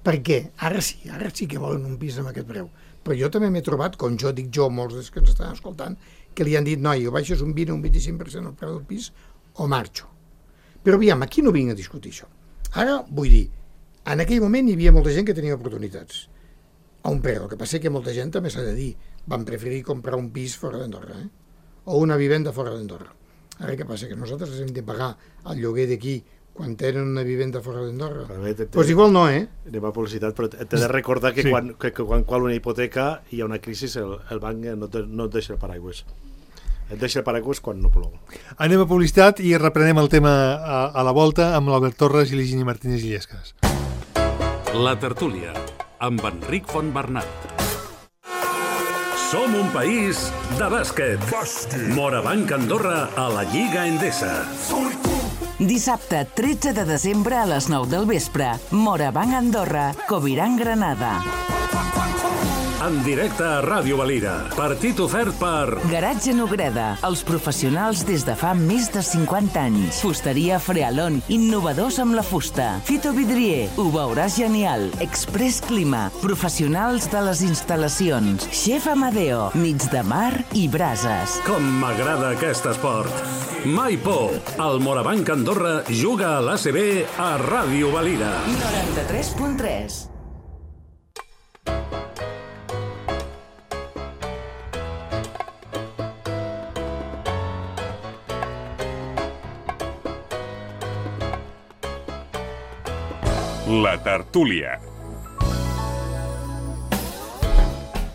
Perquè ara sí, ara sí que volen un pis amb aquest preu. Però jo també m'he trobat, com jo dic jo, molts dels que ens estan escoltant, que li han dit, noi, o baixes un vint o un vint-i-cinc per cent el preu del pis o marxo. Però aviam, aquí no vinc a discutir això. Ara, vull dir, en aquell moment hi havia molta gent que tenia oportunitats a un preu. El que passa és que molta gent també s'ha de dir, van preferir comprar un pis fora d'Andorra, eh? O una vivenda fora d'Andorra. Ara què passa? Que nosaltres hem de pagar el lloguer d'aquí quan tenen una vivenda fora d'Andorra? Doncs pues igual no, eh? Anem a publicitat, però t'he de recordar que, sí. quan, que, que quan qual una hipoteca hi ha una crisi, el, el banc no, te, no et deixa el paraigües. Et deixa el paraigües quan no plou. Anem a publicitat i reprenem el tema a, a la volta amb l'Albert Torres i l'Higini Martínez Illescas. La tertúlia, amb Enric Fontbernat. Som un país de bàsquet. Bàsquet. Morabanc Andorra a la Lliga Endesa. Dissabte, tretze de desembre a les nou del vespre. Morabanc Andorra, Coviran Granada. En directe a Ràdio Valira. Partit ofert per... Garatge Nogreda, els professionals des de fa més de cinquanta anys. Fusteria Frealon, innovadors amb la fusta. Fito Vidrier, ho veuràs genial. Express Clima, professionals de les instal·lacions. Chef Amadeo, nits de mar i brases. Com m'agrada aquest esport. Mai por. El Morabanc Andorra juga a l'A C B a Ràdio Valira. noranta-tres punt tres. La tertúlia.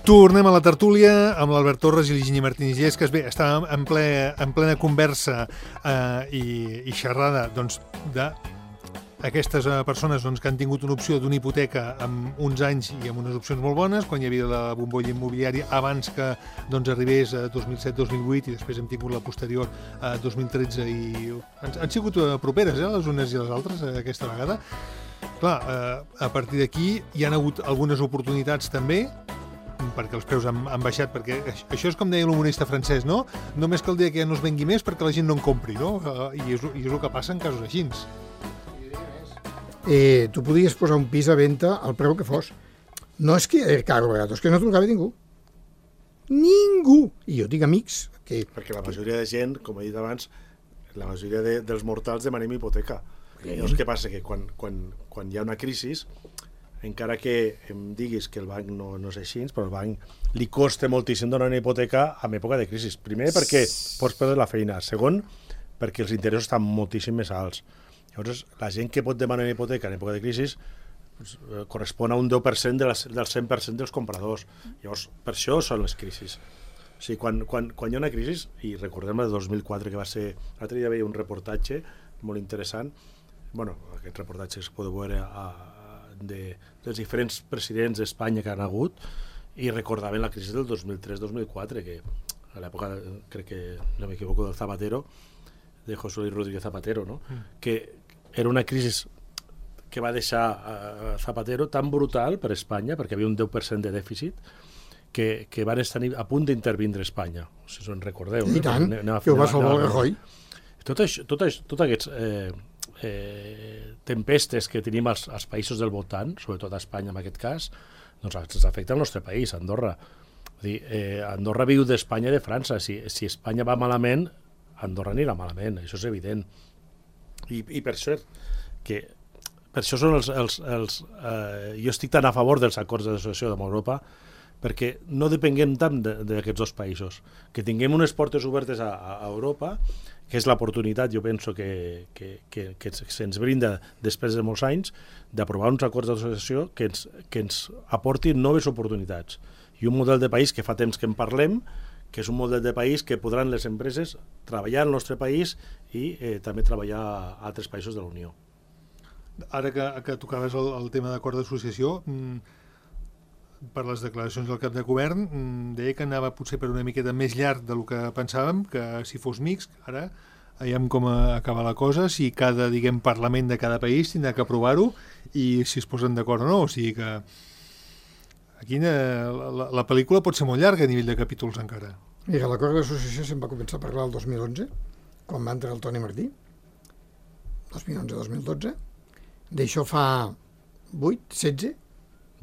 Tornem a la tertúlia amb l'Albert Torres i l'Higini Martínez Illescas. Bé, estàvem en, ple, en plena conversa eh, i, i xerrada doncs, de aquestes eh, persones doncs, que han tingut una opció d'una hipoteca amb uns anys i amb unes opcions molt bones, quan hi havia la bombolla immobiliària abans que doncs, arribés a dos mil set dos mil vuit i després hem tingut la posterior a dos mil tretze i han, han sigut eh, properes eh, les unes i les altres eh, aquesta vegada. Clar, eh, a partir d'aquí hi han hagut algunes oportunitats també, perquè els preus han, han baixat, perquè això és com deia l'humanista francès, no? Només cal dir que ja no es vengui més perquè la gent no en compri, no? Eh, I, és, I és el que passa en casos així. Eh, tu podies posar un pis a venda al preu que fos. No és que era caro, és que no t'ho acaba ningú. Ningú! I jo tinc amics que... Perquè la majoria de gent, com he dit abans, la majoria de, dels mortals demanem hipoteca. Llavors, què passa? Que quan, quan, quan hi ha una crisi, encara que em diguis que el banc no, no és així, però el banc li costa moltíssim donar una hipoteca en època de crisi. Primer, perquè pots perdre la feina. Segon, perquè els interessos estan moltíssim més alts. Llavors, la gent que pot demanar una hipoteca en època de crisi pues, eh, correspon a un deu per cent de les, del cent per cent dels compradors. Llavors, per això són les crisis. O sigui, quan, quan, quan hi ha una crisi, i recordem el dos mil quatre, que va ser... L'altre dia veia un reportatge molt interessant, bueno, aquests reportatges que podeu veure a, de, dels diferents presidents d'Espanya que han hagut, i recordaven la crisi del dos mil tres dos mil quatre, que a l'època, crec que no m'equivoco, del Zapatero, de José Luis Rodríguez Zapatero, no? Mm. que era una crisi que va deixar a Zapatero tan brutal per Espanya, perquè havia un deu per cent de dèficit, que, que van estar a punt d'intervindre Espanya, si us en recordeu. I eh? tant, anem, que ho va salvar el Rajoy. Tot, això, tot, això, tot aquests eh, eh, tempestes que tenim als, als països del voltant, sobretot a Espanya en aquest cas, doncs ens afecta al nostre país, Andorra. Dir, eh, Andorra viu d'Espanya i de França. Si, si Espanya va malament, Andorra anirà malament, això és evident. I, i per això que per això són els, els, els eh, jo estic tan a favor dels acords d'associació amb Europa, perquè no depenguem tant d'aquests dos països, que tinguem unes portes obertes a, a Europa, que és l'oportunitat, jo penso, que, que, que, que se'ns brinda després de molts anys, d'aprovar uns acords d'associació que ens, que ens aportin noves oportunitats. I un model de país que fa temps que en parlem, que és un model de país que podran les empreses treballar al nostre país i eh, també treballar a altres països de la Unió. Ara que, que tocaves el, el tema d'acord d'associació, mmm, per les declaracions del cap de govern, mmm, deia que anava potser per una miqueta més llarg del que pensàvem, que si fos mixt, ara veiem com acaba la cosa, si cada, diguem, parlament de cada país tindrà que aprovar-ho i si es posen d'acord o no, o sigui que aquí la, la, la pel·lícula pot ser molt llarga a nivell de capítols encara. Mira, l'acord d'associació se'n va començar a parlar el dos mil onze, quan va entrar el Toni Martí, dos mil onze dos mil dotze, d'això fa vuit, setze,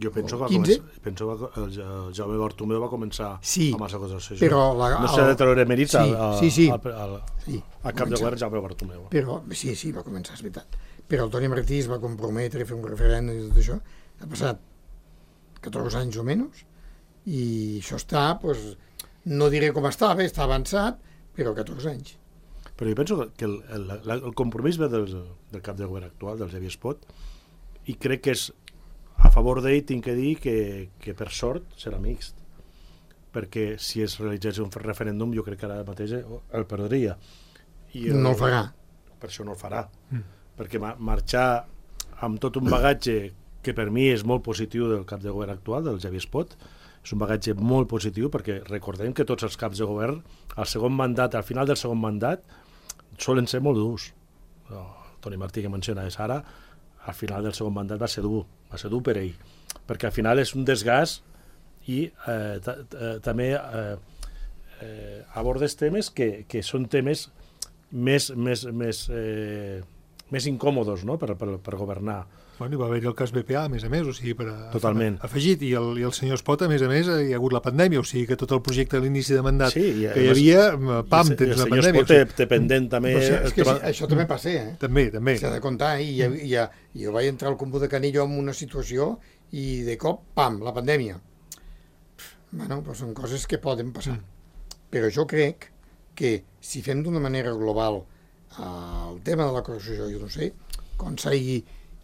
jo penso que quinze. Penso que el, el Jaume Bartomeu va començar sí, amb els acords d'associació. Però la, no sé de treure mèrits sí, al, sí, sí. al, al, sí, al cap de govern Jaume Bartomeu. Però, sí, sí, va començar, és veritat. Però el Toni Martí es va comprometre a fer un referèndum i tot això. Ha passat catorze anys o menys i això està, pues, no diré com estava, està avançat, però catorze anys. Però jo penso que el, el, el compromís ve del, del cap de govern actual, del Xavier Espot, i crec que és a favor d'ell, tinc que dir que, que per sort serà mixt, perquè si es realitzés un referèndum jo crec que ara mateix el perdria. I el, no el farà. Per això no el farà, mm. perquè ma marxar amb tot un bagatge que per mi és molt positiu del cap de govern actual, del Xavier Espot, és un bagatge molt positiu, perquè recordem que tots els caps de govern, al segon mandat, al final del segon mandat, solen ser molt durs. El Toni Martí, que mencionaves ara, al final del segon mandat va ser dur, va ser dur per ell, perquè al final és un desgast i eh, també eh, eh, abordes temes que, que són temes més, més, més, eh, més incòmodos, no? per, per, per governar. Bueno, hi va haver-hi el cas B P A, a més a més, o sigui, per a, totalment. afegit, i el, i el senyor Espot, a més a més, hi ha hagut la pandèmia, o sigui que tot el projecte a l'inici de mandat sí, i, que hi havia, pam, tens la pandèmia. El senyor Espot té, té pendent també... Però, és que sí, això també passa, eh? També, també. S'ha de comptar, i ja, ja, jo vaig entrar al Comú de Canillo en una situació i de cop, pam, la pandèmia. Bueno, però són coses que poden passar. Mm. Però jo crec que si fem d'una manera global el tema de la corrupció, jo no sé, quan s'hagi...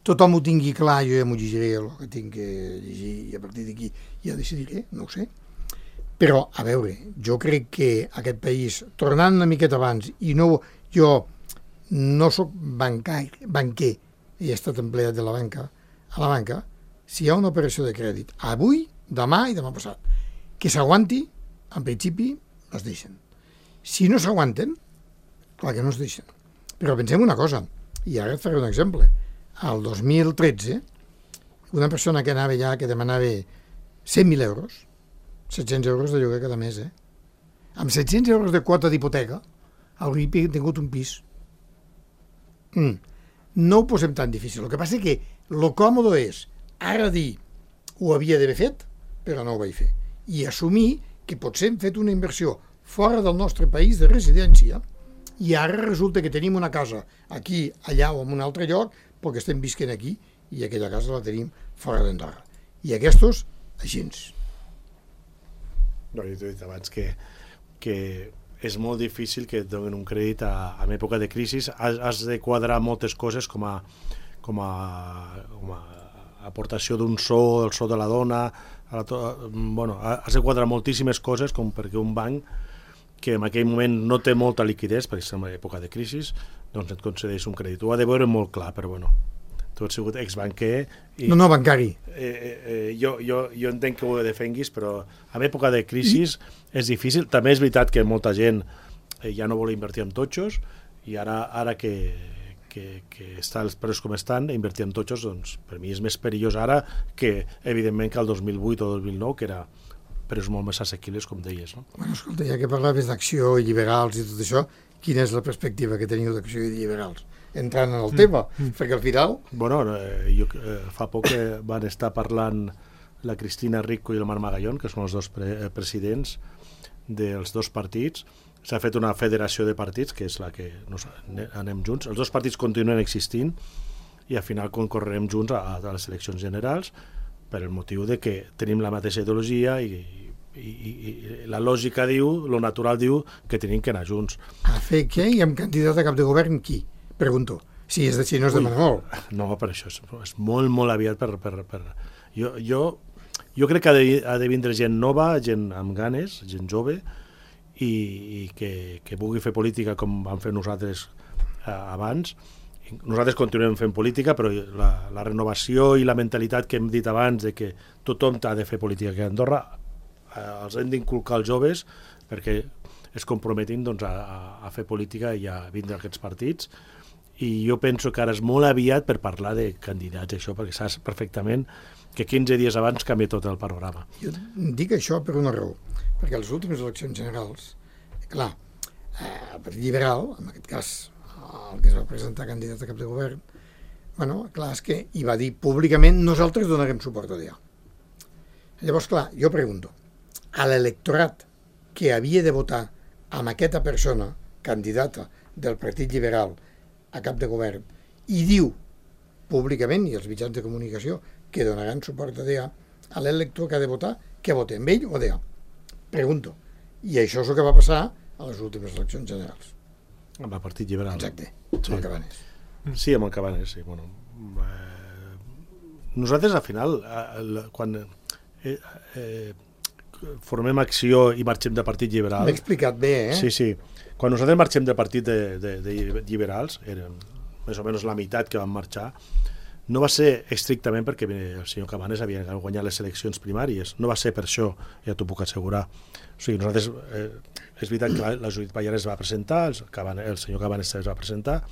tothom ho tingui clar, jo ja m'ho llegiré el que tinc que llegir i a partir d'aquí ja decidiré, no ho sé. Però, a veure, jo crec que aquest país, tornant una miqueta abans, i no, jo no sóc bancar, banquer, he estat empleat de la banca, a la banca, si hi ha una operació de crèdit, avui, demà i demà passat, que s'aguanti, en principi, es deixen. Si no s'aguanten, clar que no es deixen. Però pensem una cosa, i ara et faré un exemple. Al dos mil tretze, una persona que anava ja, que demanava cent mil euros, set-cents euros de lloguer cada mes, eh? Amb set-cents euros de quota d'hipoteca, hauria tingut un pis. Mm. No ho posem tan difícil. El que passa és que el còmode és ara dir ho havia d'haver fet, però no ho vaig fer. I assumir que potser hem fet una inversió fora del nostre país de residència i ara resulta que tenim una casa aquí, allà o en un altre lloc perquè estem visquent aquí i aquella casa la tenim fora d'Andorra. I aquestos, així. No, jo t'he dit abans que, que és molt difícil que et donin un crèdit a, a època de crisi. Has, has de quadrar moltes coses com a, com a, com a aportació d'un so, el so de la dona, a la to... bueno, has de quadrar moltíssimes coses com perquè un banc que en aquell moment no té molta liquiditat, perquè és una època de crisi, doncs et concedeix un crèdit. Ho ha de veure molt clar, però bueno, tu has sigut exbanquer... I, no, no, bancari. Eh, eh, jo, jo, jo entenc que ho defenguis, però en època de crisi I... és difícil. També és veritat que molta gent eh, ja no vol invertir en totxos, i ara, ara que, que, que estan els preus com estan, invertir en totxos, doncs, per mi és més perillós ara que, evidentment, que el dos mil vuit o dos mil nou, que era preus molt més assequibles, com deies. No? Bueno, escolta, ja que parlaves d'acció i liberals i tot això, quina és la perspectiva que teniu d'acció i liberals? Entrant en el tema, mm. perquè al final... Bueno, eh, jo, eh, fa poc que van estar parlant la Cristina Rico i el Marc Magallón, que són els dos pre presidents dels dos partits. S'ha fet una federació de partits, que és la que nos anem junts. Els dos partits continuen existint i al final concorrerem junts a, a les eleccions generals, per el motiu de que tenim la mateixa ideologia i, i, i, i la lògica diu, lo natural diu que tenim que anar junts. A fer què? I amb candidat a cap de govern qui? Pregunto. Si, és de, si no es demana molt. No, per això és, és molt, molt aviat per... per, per... Jo, jo, jo crec que ha de, ha de vindre gent nova, gent amb ganes, gent jove, i, i que, que pugui fer política com vam fer nosaltres eh, abans. Nosaltres continuem fent política, però la, la renovació i la mentalitat que hem dit abans de que tothom ha de fer política aquí a Andorra, eh, els hem d'inculcar als joves perquè es comprometin doncs, a, a fer política i a vindre a aquests partits. I jo penso que ara és molt aviat per parlar de candidats, això, perquè saps perfectament que quinze dies abans canvia tot el panorama. Jo dic això per una raó, perquè a les últimes eleccions generals, clar, eh, el Partit Liberal, en aquest cas el que es va presentar candidat a cap de govern, bueno, clar, és que hi va dir públicament nosaltres donarem suport a D A. Llavors, clar, jo pregunto, a l'electorat que havia de votar amb aquesta persona, candidata del Partit Liberal a cap de govern, i diu públicament, i els mitjans de comunicació, que donaran suport a D A, a l'elector que ha de votar, que vote amb ell o D A. Pregunto. I això és el que va passar a les últimes eleccions generals. Amb el Partit Liberal. Exacte, sí. amb el Cabanes. Sí, amb el Cabanes, sí. Bueno, eh, nosaltres, al final, eh, quan eh, eh, formem acció i marxem del Partit Liberal... M'he explicat bé, eh? Sí, sí. Quan nosaltres marxem del Partit de, de, de Liberals, eren més o menys la meitat que van marxar, no va ser estrictament perquè el senyor Cabanes havia guanyat les eleccions primàries, no va ser per això, ja t'ho puc assegurar. O sigui, nosaltres, eh, és veritat que la, la Judit Pallares va presentar, el, Cabanes, el senyor Cabanes es va presentar,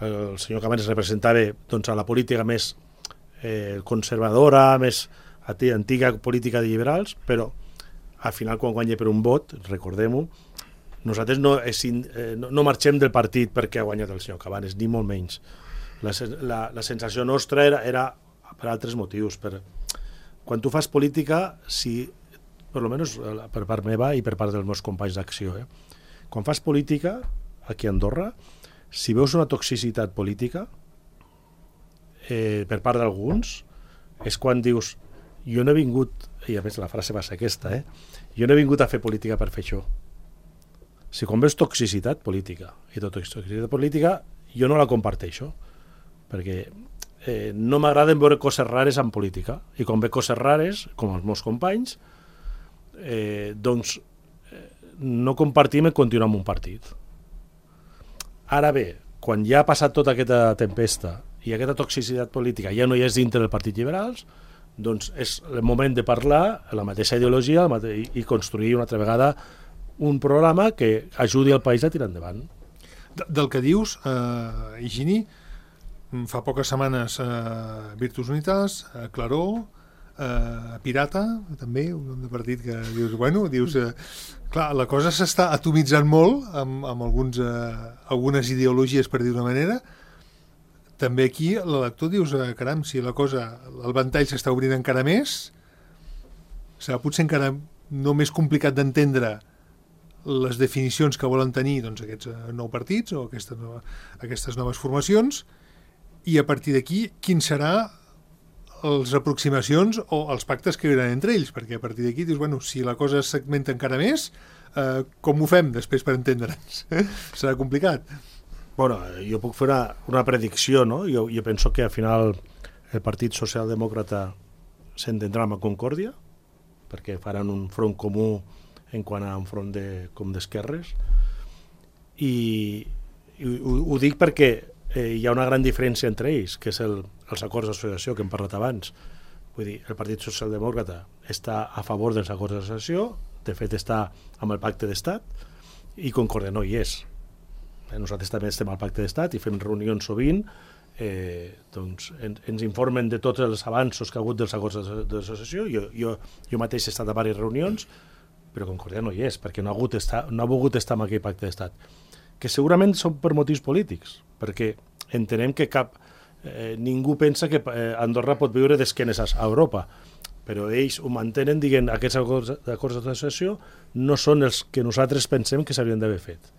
el senyor Cabanes representava doncs, a la política més eh, conservadora, més antiga política de liberals, però al final quan guanya per un vot, recordem-ho, nosaltres no, és, eh, no, no marxem del partit perquè ha guanyat el senyor Cabanes, ni molt menys. La, la, la sensació nostra era, era per altres motius. Per, quan tu fas política, si, per almenys per part meva i per part dels meus companys d'acció, eh, quan fas política aquí a Andorra, si veus una toxicitat política eh, per part d'alguns, és quan dius, jo no he vingut, i a més la frase va ser aquesta, eh, jo no he vingut a fer política per fer això. Si quan veus toxicitat política, i tota toxicitat política, jo no la comparteixo, perquè eh, no m'agraden veure coses rares en política, i quan ve coses rares, com els meus companys, eh, doncs eh, no compartim i continuar amb un partit. Ara bé, quan ja ha passat tota aquesta tempesta i aquesta toxicitat política ja no hi és dintre del Partit Liberals, doncs és el moment de parlar la mateixa ideologia mate i, i construir una altra vegada un programa que ajudi el país a tirar endavant. De, del que dius, eh, Higini, fa poques setmanes eh, Virtus Unitas, eh, Claró, eh, Pirata, també, un nom de partit que dius, bueno, dius, eh, clar, la cosa s'està atomitzant molt amb, amb alguns, eh, algunes ideologies, per dir d'una manera. També aquí l'elector dius, eh, caram, si la cosa, el ventall s'està obrint encara més, serà potser encara no més complicat d'entendre les definicions que volen tenir doncs, aquests eh, nou partits o aquestes, nova, aquestes noves formacions, i a partir d'aquí quin serà les aproximacions o els pactes que hi haurà entre ells, perquè a partir d'aquí dius, bueno, si la cosa es segmenta encara més, eh, com ho fem després per entendre'ns? Serà complicat. Bueno, jo puc fer una, una predicció, no? Jo, jo penso que al final el Partit Socialdemòcrata s'entendrà amb Concòrdia, perquè faran un front comú en quant a un front de, com d'esquerres, i, i ho, ho dic perquè eh, hi ha una gran diferència entre ells, que és el, els acords d'associació que hem parlat abans. Vull dir, el Partit Socialdemòcrata està a favor dels acords d'associació, de fet està amb el pacte d'estat, i Concòrdia no hi és. Nosaltres també estem al pacte d'estat i fem reunions sovint, eh, doncs en, ens informen de tots els avanços que ha hagut dels acords d'associació. Jo, jo, jo mateix he estat a diverses reunions, però Concòrdia no hi és, perquè no ha, hagut estar, no ha volgut estar en aquell pacte d'estat, que segurament són per motius polítics, perquè entenem que cap eh, ningú pensa que eh, Andorra pot viure d'esquenes a Europa, però ells ho mantenen dient que aquests acords, acords d'associació no són els que nosaltres pensem que s'haurien d'haver fet.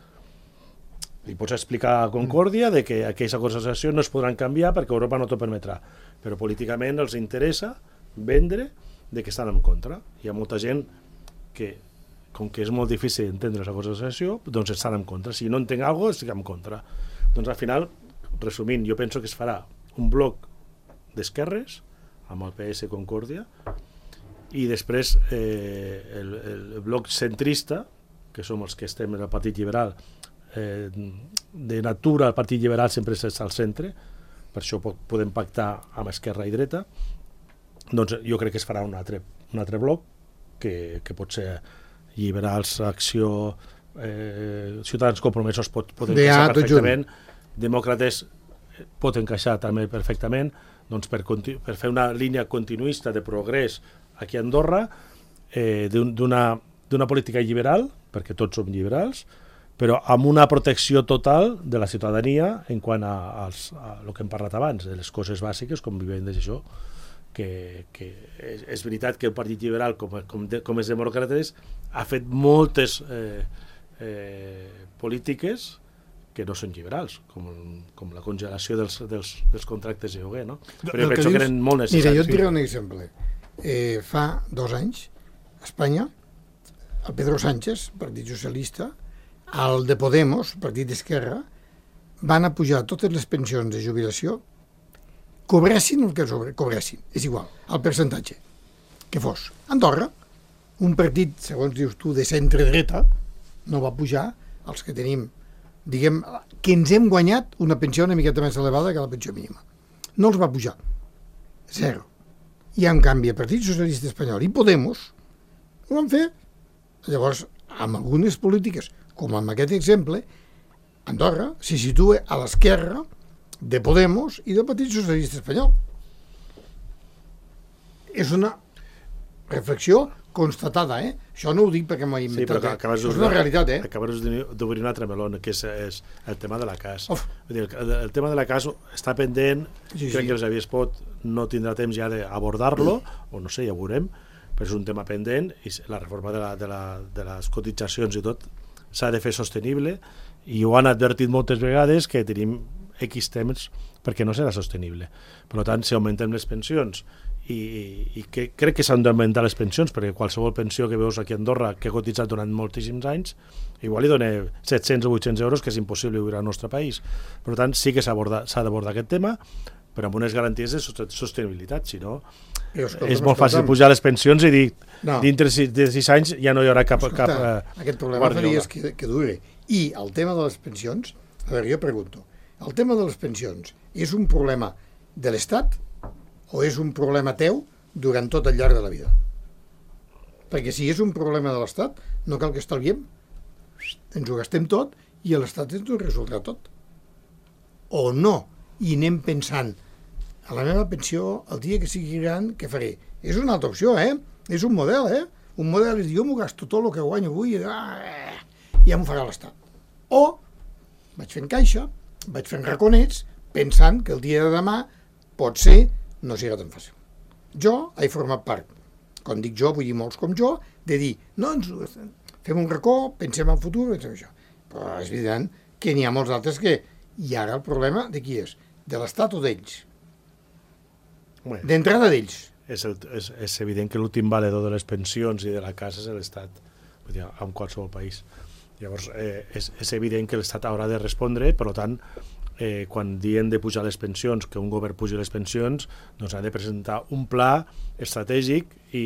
Li pots explicar a Concòrdia de que aquells acords d'associació no es podran canviar perquè Europa no t'ho permetrà, però políticament els interessa vendre de que estan en contra. Hi ha molta gent que, com que és molt difícil entendre els acords d'associació, doncs estan en contra. Si no entenc alguna cosa, estic en contra. Doncs al final, resumint, jo penso que es farà un bloc d'esquerres amb el P S Concòrdia i després eh, el, el bloc centrista, que som els que estem en el Partit Liberal, eh, de natura el Partit Liberal sempre està al centre, per això podem pactar amb esquerra i dreta, doncs jo crec que es farà un altre, un altre bloc que, que pot ser Liberals, Acció, eh, Ciutadans Compromesos pot, pot encaixar perfectament, Demòcrates pot encaixar també perfectament, doncs per, per fer una línia continuista de progrés aquí a Andorra, eh, d'una d'una política liberal, perquè tots som liberals, però amb una protecció total de la ciutadania en quant a, als, a el que hem parlat abans, de les coses bàsiques, com vivim d'això, que, que és, és veritat que el Partit Liberal, com, com, de, com és demòcrates, ha fet moltes eh, eh, polítiques que no són liberals, com, com la congelació dels, dels, dels contractes de lloguer, no? Però jo penso que eren molt necessaris. Mira, jo et diré un exemple. Eh, fa dos anys, a Espanya, el Pedro Sánchez, Partit Socialista, el de Podemos, Partit d'Esquerra, van a pujar totes les pensions de jubilació, cobressin el que sobre, cobressin, és igual, el percentatge que fos. Andorra, un partit, segons dius tu, de centre-dreta, no va pujar els que tenim, diguem, que ens hem guanyat una pensió una miqueta més elevada que la pensió mínima. No els va pujar. Zero. I en canvi, el Partit Socialista Espanyol i Podemos ho van fer. Llavors, amb algunes polítiques, com en aquest exemple, Andorra se situa a l'esquerra de Podemos i del Partit Socialista Espanyol. És una reflexió constatada, eh? Això no ho dic perquè m'ho he inventat, sí, eh? És una realitat, eh? Acabes d'obrir un altre meló, que és, és el tema de la C A S. Vull dir, el, el tema de la C A S està pendent, sí, crec sí. que el Xavier Espot no tindrà temps ja d'abordar-lo, mm. o no sé, ja ho veurem, però és un tema pendent i la reforma de, la, de, la, de les cotitzacions i tot s'ha de fer sostenible i ho han advertit moltes vegades que tenim X temps perquè no serà sostenible. Per tant, si augmentem les pensions i, i que, crec que s'han d'augmentar les pensions perquè qualsevol pensió que veus aquí a Andorra que ha cotitzat durant moltíssims anys igual li dona set-cents o vuit-cents euros que és impossible viure al nostre país. Per tant, sí que s'ha d'abordar aquest tema però amb unes garanties de sostenibilitat, si no escolta, és molt fàcil pujar les pensions i dir no. dintre de sis anys ja no hi haurà cap... Escolta, cap eh, aquest problema faries que, que dure. I el tema de les pensions, a veure, jo pregunto, el tema de les pensions és un problema de l'Estat o és un problema teu durant tot el llarg de la vida? Perquè si és un problema de l'Estat, no cal que estalviem, ens ho gastem tot i l'Estat ens ho resoldrà tot. O no, i anem pensant a la meva pensió, el dia que sigui gran, què faré? És una altra opció, eh? És un model, eh? Un model és dir, jo m'ho gasto tot el que guanyo avui i ah, ja m'ho farà l'Estat. O vaig fent caixa, vaig fent raconets, pensant que el dia de demà pot ser no serà tan fàcil. Jo he format part, quan dic jo, vull dir molts com jo, de dir, no, ens fem un racó, pensem en futur, pensem això. Però és evident que n'hi ha molts altres que... I ara el problema de qui és? De l'Estat o d'ells? Bueno, d'entrada d'ells. És, el, és, és evident que l'últim valedor de les pensions i de la casa és l'Estat, vull dir, en qualsevol país. Llavors, eh, és, és evident que l'Estat haurà de respondre, per tant, eh, quan diem de pujar les pensions, que un govern pugi les pensions, doncs ha de presentar un pla estratègic i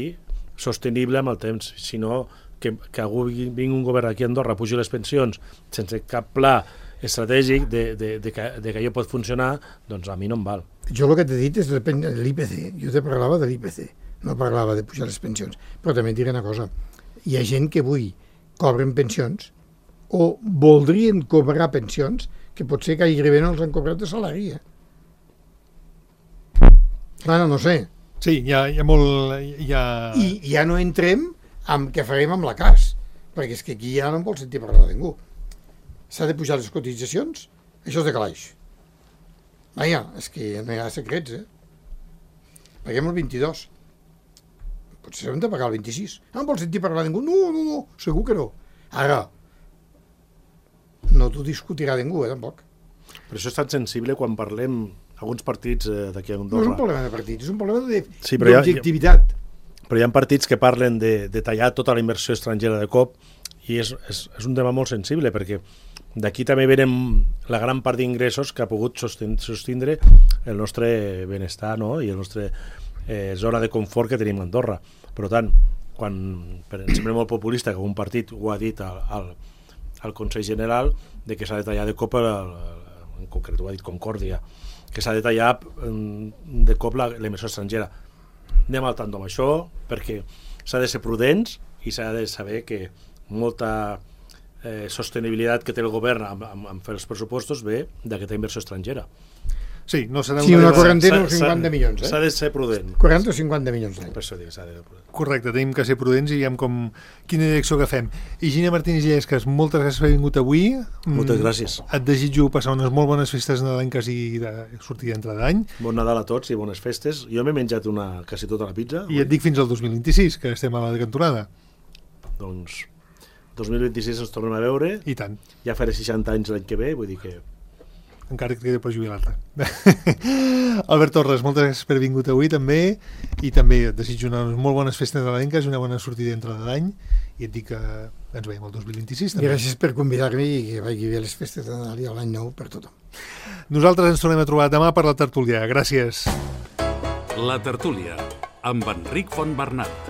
sostenible amb el temps, si no que, que algú vingui un govern aquí a Andorra, pugi les pensions sense cap pla estratègic de, de, de, que, de que allò pot funcionar, doncs a mi no em val. Jo el que t'he dit és l'I P C. Jo te parlava de l'I P C, no parlava de pujar les pensions. Però també et diré una cosa. Hi ha gent que avui cobren pensions o voldrien cobrar pensions que potser que gairebé no els han cobrat de salari. Eh? Bueno, no sé. Sí, hi ha, hi ha molt... Hi ha... I ja no entrem amb què farem amb la C A S, perquè és que aquí ja no en vol sentir parlar de ningú. S'ha de pujar les cotitzacions? Això és de calaix. Vaja, és que no hi ha secrets, eh? Paguem el vint-i-dos. Potser hem de pagar el vint-i-sis. No en vol sentir parlar de ningú? No, no, no, segur que no. Ara, no t'ho discutirà ningú, eh, tampoc. Per això és tan sensible quan parlem alguns partits eh, d'aquí a No Andorra. és un problema de partits, és un problema de- Sí, però ja- d'objectivitat. Però hi ha partits que parlen de, de tallar tota la inversió estrangera de cop i és, és, és un tema molt sensible perquè d'aquí també venen la gran part d'ingressos que ha pogut sostindre, sostindre el nostre benestar, no? I el nostre eh, zona de confort que tenim a Andorra. Per tant, quan per exemple molt populista que un partit ho ha dit al, al, al Consell General de que s'ha de tallar de cop, el, el, en concret ho ha dit Concòrdia, que s'ha de tallar mm, de cop la, la inversió estrangera. Anem al tant amb això, perquè s'ha de ser prudents i s'ha de saber que molta eh, sostenibilitat que té el govern amb, amb, amb fer els pressupostos ve d'aquesta inversió estrangera. Sí, no serà Sí, una una... quarantena o S'ha- s'ha- cinquanta milions, eh? S'ha de ser prudent. quaranta o cinquanta milions d'any. Per això dic, s'ha de ser prudent. Correcte, tenim que ser prudents i veiem com quina direcció agafem. Higine Martínez Llesques, moltes gràcies per haver vingut avui. Moltes Mm, gràcies. Et desitjo passar unes molt bones festes nadalenques i de sortida d'entrada d'any. Bon Nadal a tots i bones festes. Jo m'he menjat una, quasi tota la pizza. I et dic fins al dos mil vint-i-sis, que estem a la cantonada. Doncs dos mil vint-i-sis ens tornem a veure. I tant, Ja faré seixanta anys l'any que ve, vull dir que... encara que et quedi per jubilar-te. Albert Torres, moltes gràcies per haver vingut avui també, i també et desitjo unes molt bones festes nadalenques i una bona sortida d'entrada d'any, i et dic que ens veiem el dos mil vint-i-sis I també. gràcies per convidar-me i que vagi bé les festes de Nadal i l'any nou per tothom. Nosaltres ens tornem a trobar demà per la tertúlia. Gràcies. La tertúlia, amb Enric Fontbernat.